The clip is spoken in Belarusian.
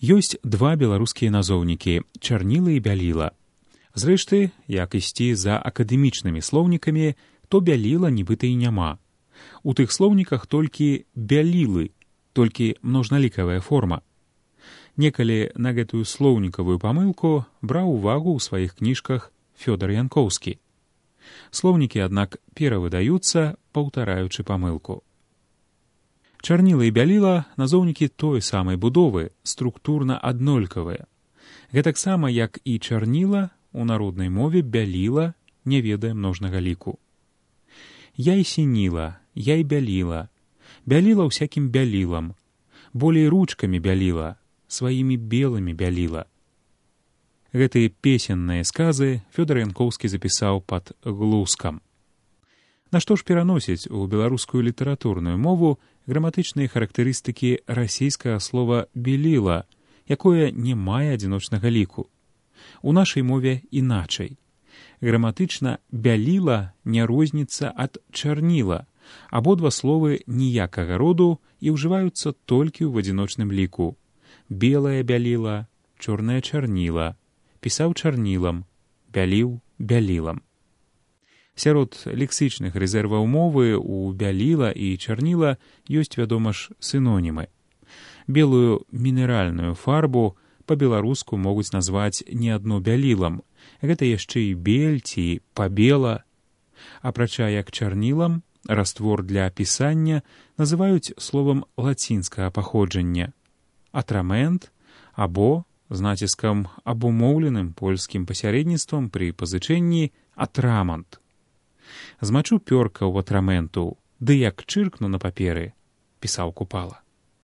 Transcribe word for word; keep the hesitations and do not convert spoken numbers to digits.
Ёсць два беларускія назоўнікі — чарніла і бяліла. Зрэшты, як ісці за акадэмічнымі слоўнікамі, то бяліла нібыта і няма. У тых слоўніках толькі бялілы, толькі множналікавая форма. Некалі на гэтую слоўнікавую памылку браў увагу ў сваіх кніжках Фёдар Янкоўскі. Слоўнікі, аднак, перавыдаюцца, паўтараючы памылку. Чарніла і бяліла — назоўнікі той самай будовы, структурна аднолькавыя. Гэтаксама, як і чарніла, у народнай мове бяліла не ведае множнага ліку. Я і сініла, я і бяліла, бяліла ўсякім бялілам, болей ручкамі бяліла, сваімі белымі бяліла. Гэтыя песенныя сказы Фёдар Янкоўскі запісаў пад глускам. Нашто ж пераносіць у беларускую літаратурную мову граматычныя характарыстыкі расійскага слова «беліла», якое не мае адзіночнага ліку? У нашай мове іначай. Граматычна «бяліла» не розніцца ад «чарніла». Абодва словы ніякага роду і ўжываюцца толькі ў адзіночным ліку. Белая бяліла, чорная чарніла, пісаў чарнілам, бяліў бялілам. Сярод лексічных рэзерваў мовы у бяліла і чарніла ёсць, вядома ж, сінонімы. Белую мінеральную фарбу па-беларуску могуць назваць не адно бялілам. Гэта яшчэ і бель ці пабела. Апрача як чарнілам, раствор для пісання называюць словам лацінскага паходжання — атрамент або, з націскам абумоўленым польскім пасярэдніцтвам пры пазычэнні, атрамант. Змачу пёрка ў атраменту, ды як чыркну на паперы, пісаў Купала.